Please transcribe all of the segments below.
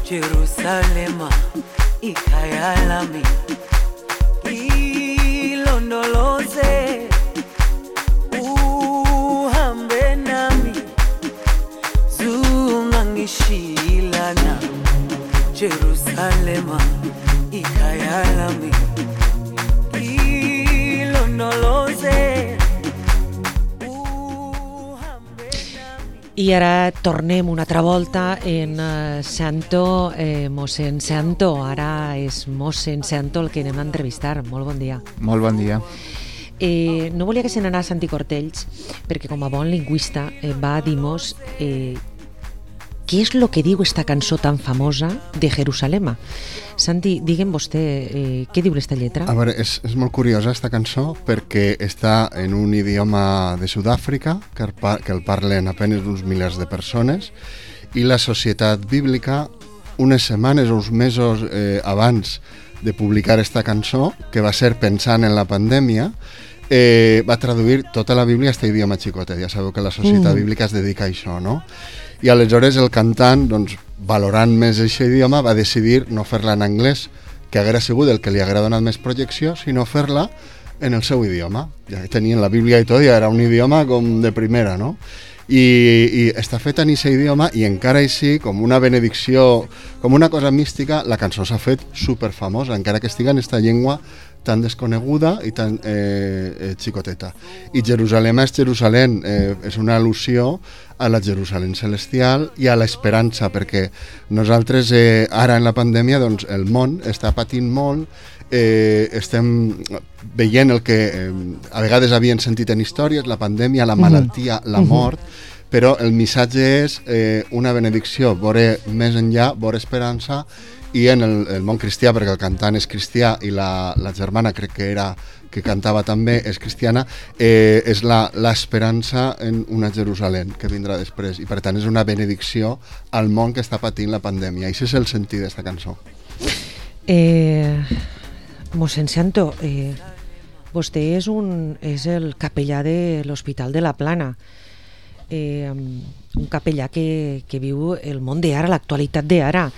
Jerusalema ikhaya lami ilondoloze uhambe nami zungangishilana Jerusalema ikhaya lami ilondoloze. I ara tornem una altra volta en Santo, mossèn Santo. Ara és mossèn Santo el que anem a entrevistar. Molt bon dia. Molt bon dia. No volia que se n'anés Santi Cortells, perquè com a bon lingüista va dir-nos què és el que diu esta cançó tan famosa de Jerusalema. Santi, digue'm vostè, què diu esta lletra? A veure, és molt curiosa esta cançó perquè està en un idioma de Sud-àfrica que el parlen apenas uns milers de persones i la Societat Bíblica unes setmanes o uns mesos abans de publicar esta cançó, que va ser pensant en la pandèmia, va traduir tota la Bíblia a este idioma xicotet. Ja sabeu que la Societat Bíblica es dedica a això, no? I aleshores el cantant, doncs, valorant més aquest idioma, va decidir no fer-la en anglès, que haguera sigut el que li haguera donat més projecció, sinó fer-la en el seu idioma. Ja que tenien la Bíblia i tot, ja era un idioma com de primera, no? I està feta en aquest idioma i encara així, com una benedicció, com una cosa mística, la cançó s'ha fet superfamosa, encara que estiga en esta llengua tan desconeguda i tan xicoteta. I Jerusalem és Jerusalem, és una al·lusió a la Jerusalem celestial i a l'esperança, perquè nosaltres ara en la pandèmia doncs, el món està patint molt, estem veient el que a vegades havien sentit en històries, la pandèmia, la malaltia, la mort, però el missatge és una benedicció, veure més enllà, veure esperança. I en el món cristià, perquè el cantant és cristià i la germana crec que cantava també, és cristiana, és l'esperança en una Jerusalem que vindrà després, i per tant és una benedicció al món que està patint la pandèmia. I això és el sentit d'aquesta cançó. Mossèn Santo, vostè és el capellà de l'Hospital de la Plana, un capellà que viu el món d'ara, l'actualitat d'ara,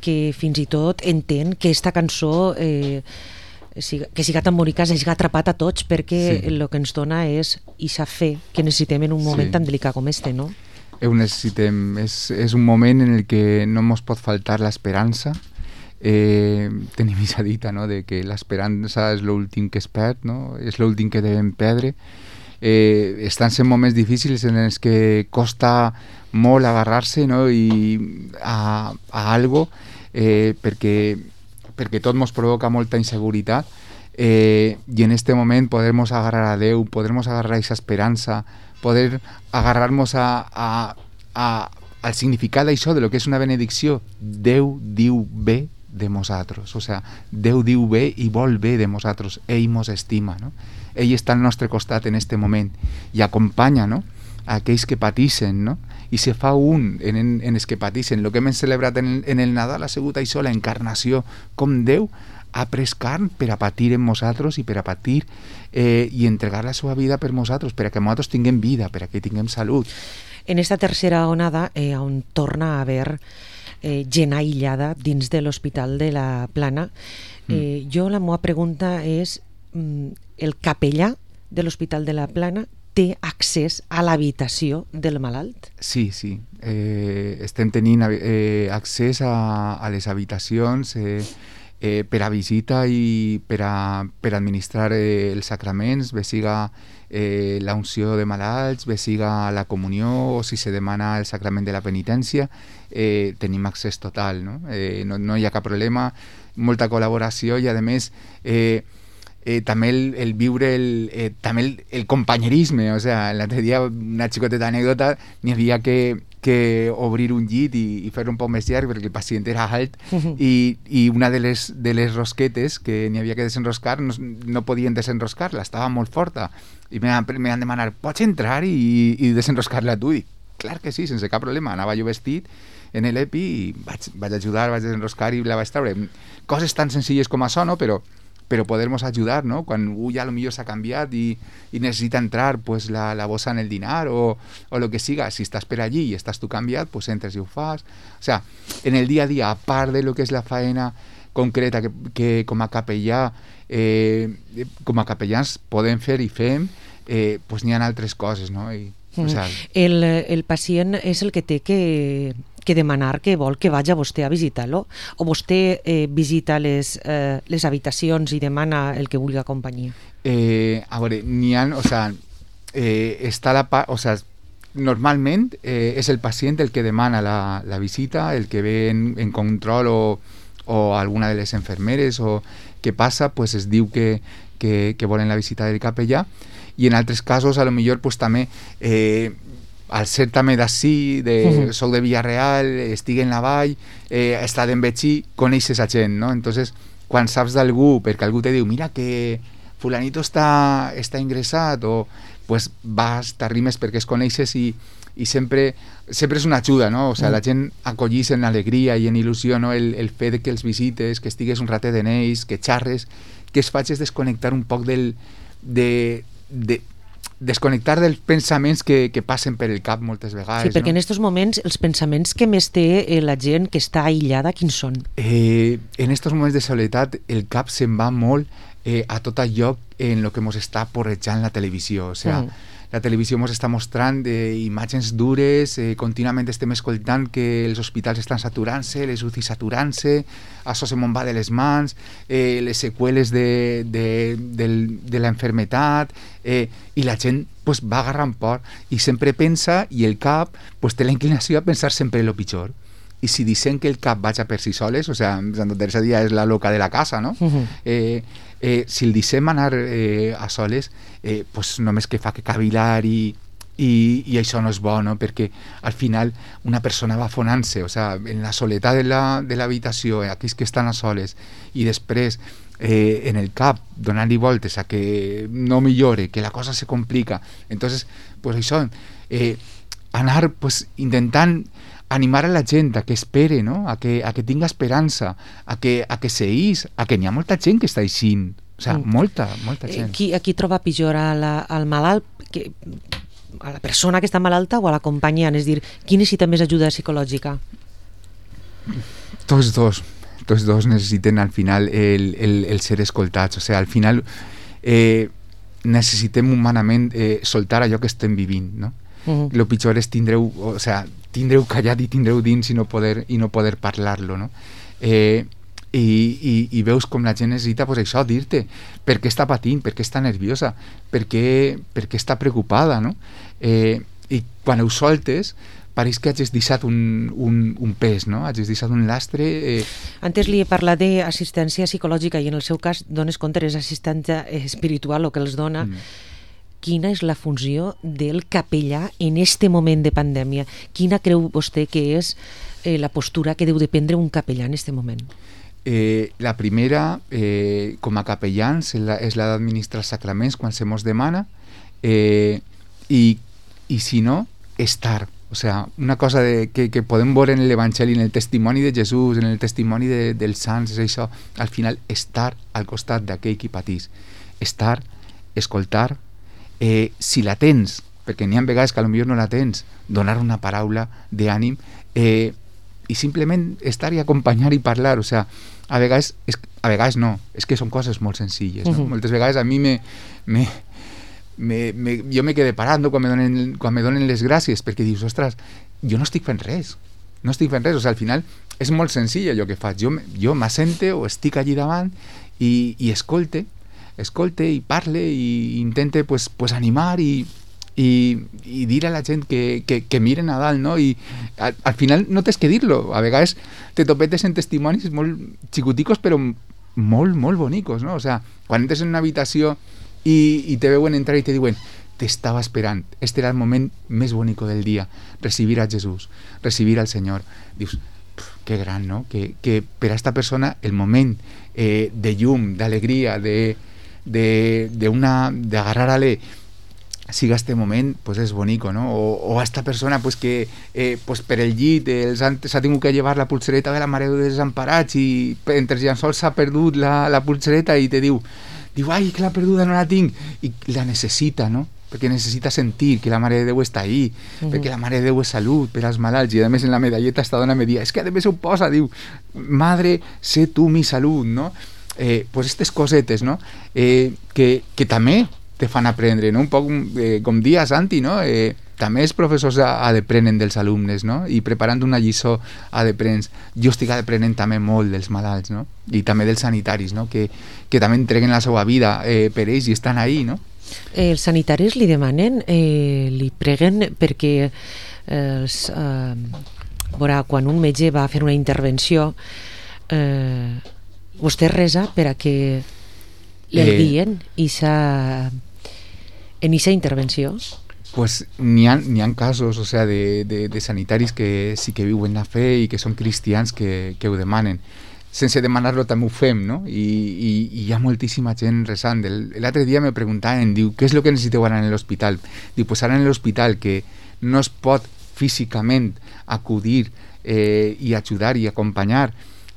que fins i tot entén que esta cançó que siga tan bonica s'hagi atrapat a tots, perquè el que ens dona és ixa fe que necessitem en un moment tan delicat com este, no? Ho necessitem, és un moment en el que no ens pot faltar l'esperança. Tenim aquesta dita, no?, de que l'esperança és l'últim que es perd, no? És l'últim que devem perdre. Estan sent moments difícils en els que costa molt agarrar-se, no?, a algo, perquè tot ens provoca molta inseguretat, i en este moment poder-nos agarrar a Déu, poder-nos agarrar a aquesta esperança, poder agarrar-nos al significat d'això, de lo que és una benedicció. Déu diu bé de nosaltres, o sea, Déu diu bé i vol bé de nosaltres, ell mos estima, no? Ell està al nostre costat en este moment i acompanya, no?, a aquells que patixen, no?, i se fa un en els que patixen. El que hem celebrat en el Nadal ha sigut això, la encarnació, com Déu ha pres carn per a patir en nosaltres i per a patir i entregar la seva vida per nosaltres, per a que nosaltres tinguem vida, per a que tinguem salut. En esta tercera onada, on torna a haver gent aïllada dins de l'Hospital de la Plana, jo la meva pregunta és, el capellà de l'Hospital de la Plana té accés a l'habitació del malalt? Sí. Estem tenint accés a les habitacions per a visita i per a administrar els sacraments, bé siga la unció de malalts, bé siga la comunió, o si se demana el sacrament de la penitència, tenim accés total, no? No hi ha cap problema, molta col·laboració i, a més, també el viure també el companyerisme. O sea, l'altre dia, una xicoteta anècdota, n'hi havia que obrir un llit i fer un poc més llarg perquè el pacient era alt, i una de les rosquetes que n'hi havia que desenroscar no podien desenroscar-la, estava molt forta, i me van demanar, pots entrar i desenroscar-la tu? I clar que sí, sense cap problema. Anava jo vestit en l'EPI i vaig ajudar, vaig desenroscar i la vaig treure. Coses tan senzilles com això, no? Però pero podernos ayudar, ¿no? Cuando ya lo mío se ha cambiado y necesita entrar pues la bossa en el dinar o lo que siga, si estás per allí y estás tú cambiat, pues entres i ho fas. O sea, en el día a día, a part de lo que és la faena concreta que com a capellà, com a capellans podem fer i fem, pues n'hi ha altres coses, no? O sea, el pacient és el que té que demanar que vol que vagi a vostè a visitar-lo, o vostè visita les habitacions i demana el que vulgui a companyia? A veure, n'hi ha, o sea, està la part, o sea, normalment és el pacient el que demana la visita, el que ve en control o alguna de les enfermeres o què passa, pues es diu que volen la visita del capellà, i en altres casos a lo millor pues també al ser també d'ací, soc de Villarreal, estic en la vall, he estat en Betxí, coneixes a gent, no? Entonces, quan saps d'algú, perquè algú te diu mira que fulanito està ingressat, o pues vas, t'arrimes perquè es coneixes i sempre és una ajuda, no? O sea, la gent acollís en alegria i en il·lusió, no? El fet que els visites, que estigues un ratet en ells, que xarres, que es facis desconnectar un poc desconnectar dels pensaments que passen per el cap moltes vegades. Sí, perquè no? en aquests moments els pensaments que més té la gent que està aïllada, quins són? En aquests moments de soledat el cap se'n va molt a tot allò en el que ens està porrejant la televisió. O sea, la televisió ens està mostrant imatges dures, contínuament estem escoltant que els hospitals estan saturant-se, les UCI saturant-se, això se me'n va de les mans, les seqüeles de la enfermetat, i la gent pues, va agarrant por i sempre pensa, i el cap pues, té la inclinació a pensar sempre el pitjor. I si dicen que el cap vaja per si soles, o sea, Santa Teresa Díaz és la loca de la casa, no? Si el deixem anar a soles, pues només que fa que cavilar i això no és bo, no? Perquè al final una persona va afonant-se, o sea, en la soledat de l'habitació, aquells que estan a soles, i després en el cap donant-li voltes a que no millore, que la cosa se complica. Entonces, pues això, anar pues, intentant animar a la gent a que espere, no? a que tinga esperança, a que seís, a que n'hi ha molta gent que està eixint, o sea, molta gent. Qui troba pitjor, al malalt, a la persona que està malalta o a l'acompanyant? És dir, qui necessita més ajuda psicològica? Tots dos necessiten al final el ser escoltats, o sea, al final necessitem humanament soltar allò que estem vivint, no? Lo pitjor és tindreu callat i tindreu dins i no poder parlar-lo, no? I veus com la gent necessita pues, això, dir-te per què està patint, per què està nerviosa, per què està preocupada, no? I quan ho soltes pareix que hagis deixat un pes, no? Hagis deixat un lastre. Antes li he parlat d'assistència psicològica i en el seu cas dones compte és assistència espiritual el que els dona. Quina és la funció del capellà en este moment de pandèmia? Quina creu vostè que és la postura que deu de prendre un capellà en este moment? La primera, com a capellans, és la d'administrar sacraments quan se mos demana, i si no, estar. O sea, una cosa que podem veure en l'Evangeli, en el testimoni de Jesús, en el testimoni dels sants, és això, al final, estar al costat d'aquell qui patís. Estar, escoltar, si la tens, perquè n'hi ha vegades que potser no la tens, donar una paraula d'ànim i simplement estar i acompanyar i parlar. O sea, a vegades no, és que són coses molt senzilles, no? Moltes vegades a mi jo me quedé parat, no? quan me donen les gràcies, perquè dius, ostres, jo no estic fent res, o sea, al final és molt senzill allò que faig, jo m'assente o estic allí davant i escolte i parle i intente pues animar i dir a la gent que miren a dalt, no? I al final no tens que dir-lo, a vegades te topetes en testimonis molt xicoticos però molt, molt bonicos, no? O sea, quan entres en una habitació i te veuen entrar i te diuen t'estava esperant, este era el moment més bonico del dia, recibir a Jesús, recibir al Senyor. Dius, que gran, no? Que per a esta persona el moment de llum, d'alegria, d'agarrar-le siga este moment pues és bonico, no? O a esta persona pues que pues per el llit s'ha tingut que llevar la pulsereta de la Mare de Desemparats i entre els llençols s'ha perdut la pulsereta i te diu ai, que la perduda no la tinc, i la necessita, no? Perquè necessita sentir que la Mare de Déu està ahí, perquè la Mare de Déu és salut per als malalts, i a més en la medalleta esta dona me dia, és que a més ho posa, diu, madre, sé tu mi salut, no? Pues aquestes cosetes, no? Que també te fan aprendre, no? Un poc com dia Santi, no? També els professors aprenen dels alumnes, no? I preparant una lliçó aprens. Jo estic aprenent també molt dels malalts, no? I també dels sanitaris, no? Que també entreguen la seva vida per ells i estan ahí, no? Els sanitaris li demanen, li preguen perquè quan un metge va fer una intervenció vostè resa per a que el guien en aquesta intervenció? Pues n'hi ha casos, o sea, de sanitaris que sí que viuen la fe i que són cristians que ho demanen. Sense demanar-lo també ho fem, no? I hi ha moltíssima gent resant. L'altre dia me preguntaven, diu, què és el que necessiteu ara en l'hospital? Diu, pues ara en l'hospital que no es pot físicament acudir i ajudar i acompanyar,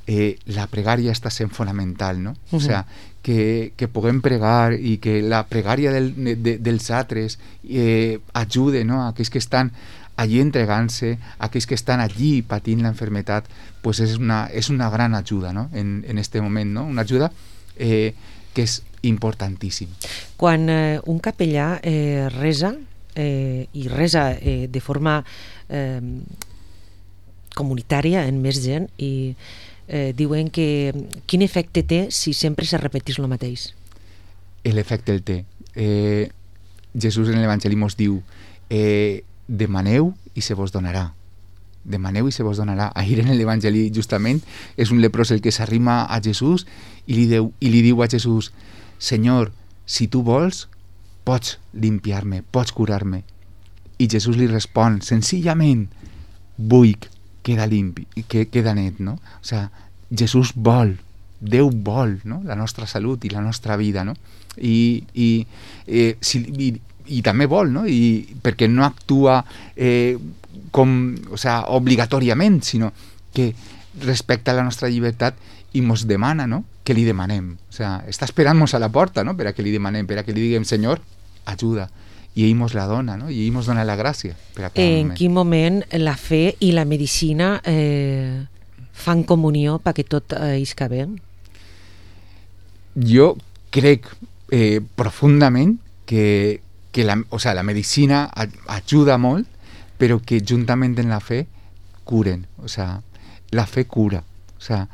la pregària està sent fonamental, no? O sea, que puguem pregar i que la pregària dels altres ajude, no? A aquells que estan allí entregant-se, aquells que estan allí patint la enfermedad, pues és una gran ajuda, no? En este moment, no? Una ajuda que és importantíssim. Quan un capellà resa i resa de forma comunitària en més gent i diuen que quin efecte té si sempre se repetís el mateix? L'efecte el té. Jesús en l'Evangeli mos diu demaneu i se vos donarà. Demaneu i se vos donarà. Ahir en l'Evangeli justament és un leprós el que s'arrima a Jesús i li diu a Jesús, Senyor, si tu vols, pots limpiar-me, pots curar-me. I Jesús li respon, senzillament, vull, queda limpi, queda net, no? O sea, Jesús vol, Déu vol, no? La nostra salut i la nostra vida, no? I també vol, no? Perquè no actua obligatòriament, sinó que respecta la nostra llibertat i mos demana, no? Que li demanem. O sea, està esperant-nos a la porta, no? Per a que li demanem, per a que li diguem, Senyor, ajuda. I ell mos la dona, no? I ell mos dona la gràcia. En quin moment la fe i la medicina fan comunió perquè tot isca bé? Jo crec profundament que la medicina ajuda molt, però que juntament amb la fe curen. O sea, la fe cura. O sea,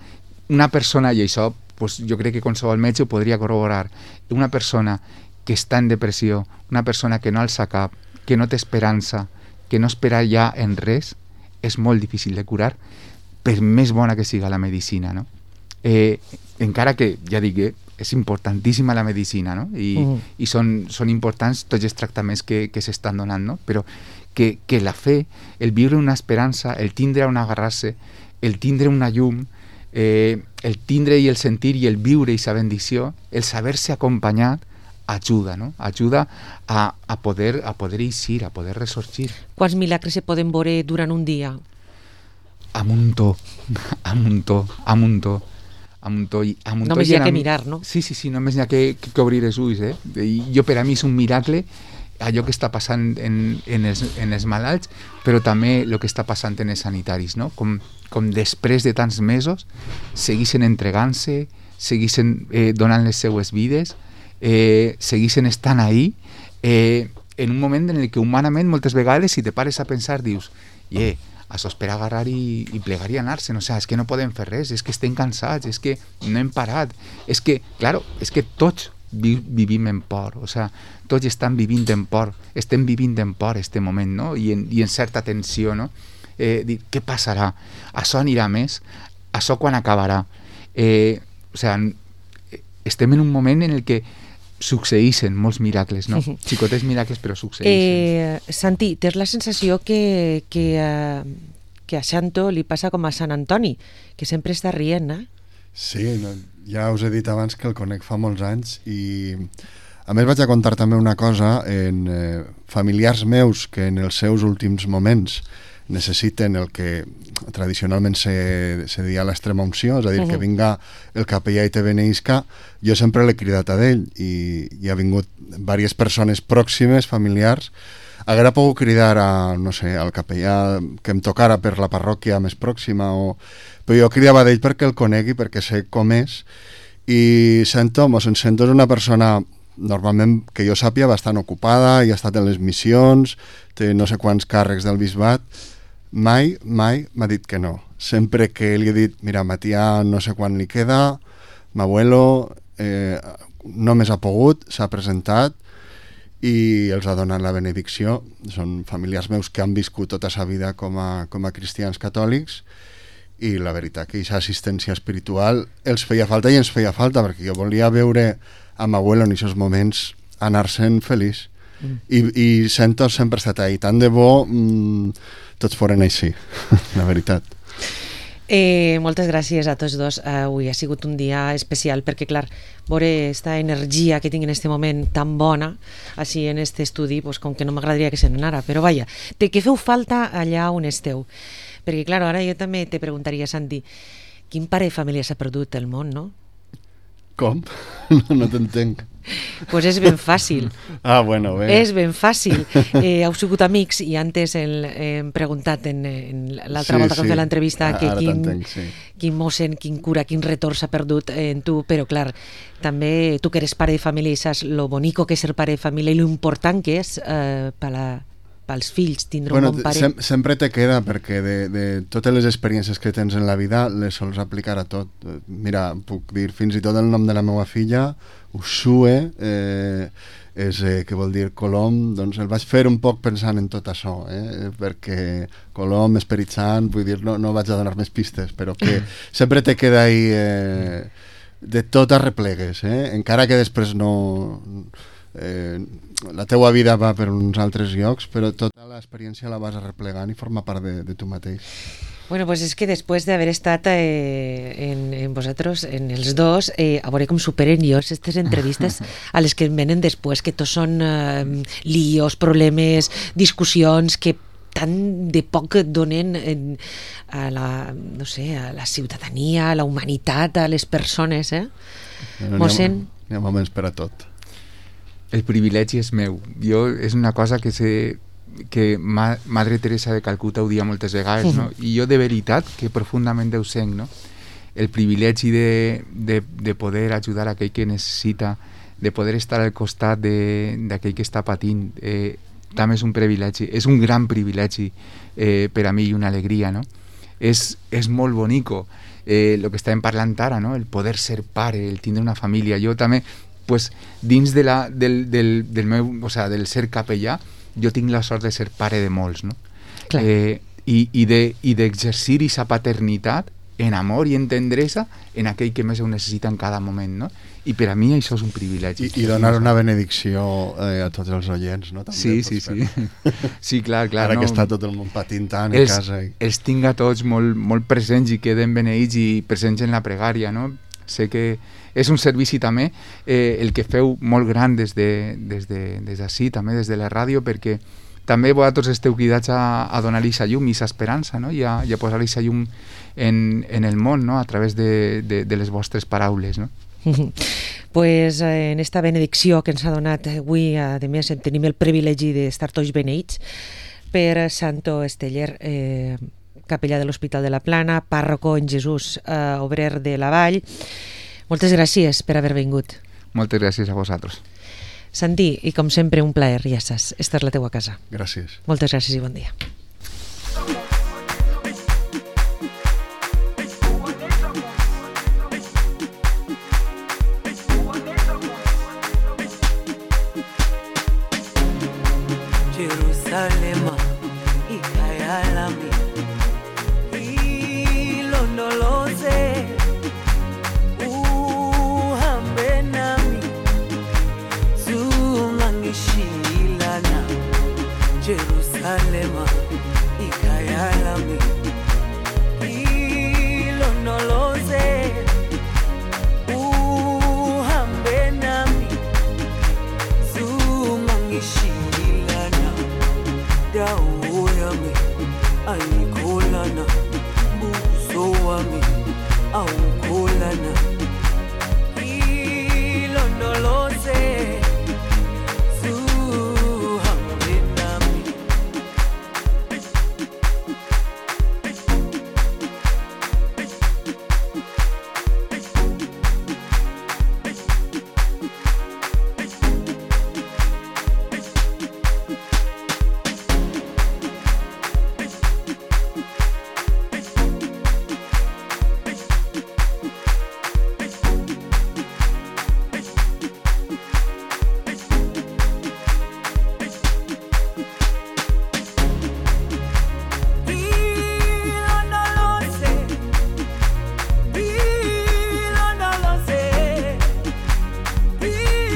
una persona, i això pues, jo crec que qualsevol metge ho podria corroborar, una persona que està en depressió, una persona que no alça cap, que no té esperança, que no espera ja en res, és molt difícil de curar, per més bona que siga la medicina, no? Encara que, ja dic, és importantíssima la medicina, no? I són importants tots els tractaments que s'estan donant, no? Però que la fe, el viure una esperança, el tindre on agarrar-se, el tindre una llum, el tindre i el sentir i el viure i sa bendició, el saber-se acompanyat, ajuda, no? Ajuda a poder eixir, a poder ressorgir. Quants milagres se poden veure durant un dia? A muntó. Només hi ha que mirar, no? Sí, només hi ha que obrir els ulls, I jo, per a mi és un miracle allò que està passant en els malalts, però també el que està passant en els sanitaris, no? Com després de tants mesos segueixen entregant-se, segueixen donant les seues vides, segueixen estant ahí en un moment en el que humanament moltes vegades si te pares a pensar dius això és per agarrar i plegar i anar-se'n, o sigui, és que no podem fer res, és que estem cansats, és que no hem parat, és que tots vivim en por, o sigui, tots estem vivint en por este moment, no? I en certa tensió, no? Dir, què passarà? Això anirà més? Això quan acabarà? O sigui, estem en un moment en el que succeeixen molts miracles, no? Xicotets miracles, però succeeixen. Santi, tens la sensació que a Xanto li passa com a Sant Antoni, que sempre està rient, eh? Sí, ja us he dit abans que el conec fa molts anys i A més, vaig a contar també una cosa en familiars meus que en els seus últims moments necessiten el que tradicionalment se deia l'extrema unció, és a dir, que vinga el capellà i te beneïsca. Jo sempre l'he cridat a d'ell i ha vingut diverses persones pròximes, familiars. Haguera pogut cridar a, no sé, al capellà que em tocara per la parròquia més pròxima, però jo cridava d'ell perquè el conegui, perquè sé com és, i sento és una persona normalment, que jo sàpia, bastant ocupada, i ha estat en les missions, té no sé quants càrrecs del bisbat. Mai m'ha dit que no. Sempre que li he dit, mira, Matíà no sé quan li queda, m'abuelo només ha pogut, s'ha presentat i els ha donat la benedicció. Són familiars meus que han viscut tota sa vida com a cristians catòlics, i la veritat que aquesta assistència espiritual els feia falta i ens feia falta, perquè jo volia veure a m'abuelo en aquests moments anar-se'n feliç. I sento sempre ha estat ahí. Tant de bo tots foren així, la veritat. Moltes gràcies a tots dos. Avui ha sigut un dia especial perquè, clar, veure aquesta energia que tinc en aquest moment tan bona així en aquest estudi, pues, com que no m'agradaria que se n'anara, però vaja, que feu falta allà on esteu. Perquè, clar, ara jo també te preguntaria, Santi, quin pare de família s'ha perdut el món, no? Com? No t'entenc. Pues és ben fàcil. Ah, bueno, bé. És ben fàcil. Heu sigut amics i antes hem preguntat en l'altra volta que hem fet l'entrevista que quin mossèn, quin cura, quin retorn s'ha perdut en tu, però clar, també tu que eres pare de família i saps lo bonico que és ser pare de família i lo important que és pels fills tindre un bon pare. Sempre te queda, perquè de totes les experiències que tens en la vida les sols aplicar a tot. Mira, puc dir fins i tot el nom de la meva filla, Uxue, que vol dir Colom, doncs el vaig fer un poc pensant en tot això, perquè Colom, Esperit Sant, vull dir, no vaig a donar més pistes, però que sempre te queda ahí de tot arreplegues, encara que després no... la teua vida va per uns altres llocs, però tota l'experiència la vas arreplegant i forma part de tu mateix. Bueno, pues és que després d'haver estat en vosaltres, en els dos, a veure com superen jo aquestes entrevistes a les que venen després, que tots són líos, problemes, discussions, que tant de poc donen a no sé, a la ciutadania, a la humanitat, a les persones, Mossèn? N'hi ha moments per a tot. El privilegi és meu. És una cosa que Madre Teresa de Calcuta ho dia moltes vegades, no? I jo de veritat que profundament ho sent, no? El privilegi de poder ajudar aquell que necessita, de poder estar al costat d'aquell que està patint, també és un privilegi, és un gran privilegi per a mi i una alegria, no? És molt bonico el que estàvem parlant ara, no? El poder ser pare, el tindre una família. Jo també, pues, dins del meu, o sea, del ser capellà, jo tinc la sort de ser pare de molts, no? I d'exercir aquesta paternitat en amor i en tendresa en aquell que més ho necessita en cada moment, no? I per a mi això és un privilegi. I donar una benedicció a tots els oients, no? També sí. Sí, clar. Ara que està tot el món patint tant a casa. Els tinc a tots molt presents i queden beneïts i presents en la pregària, no? Sé que és un servici també el que feu molt gran des d'ací, també des de la ràdio, perquè també vosaltres esteu cridats a donar-li aquesta llum i aquesta esperança, no? I a posar-li aquesta llum en el món, no? A través de les vostres paraules, no? Pues en esta benedicció que ens ha donat avui, a més tenim el privilegi d'estar tots beneïts per Santo Esteller, capellà de l'Hospital de la Plana, pàrroco en Jesús, obrer de la Vall. Moltes gràcies per haver vingut. Moltes gràcies a vosaltres. Santi, i com sempre un plaer, ja saps, esta és la teua casa. Gràcies. Moltes gràcies i bon dia. Jerusalema ikayalami ilondoloze uhambe nami zungangishilana Jerusalema ikayalami ayikholana buso wami awukholana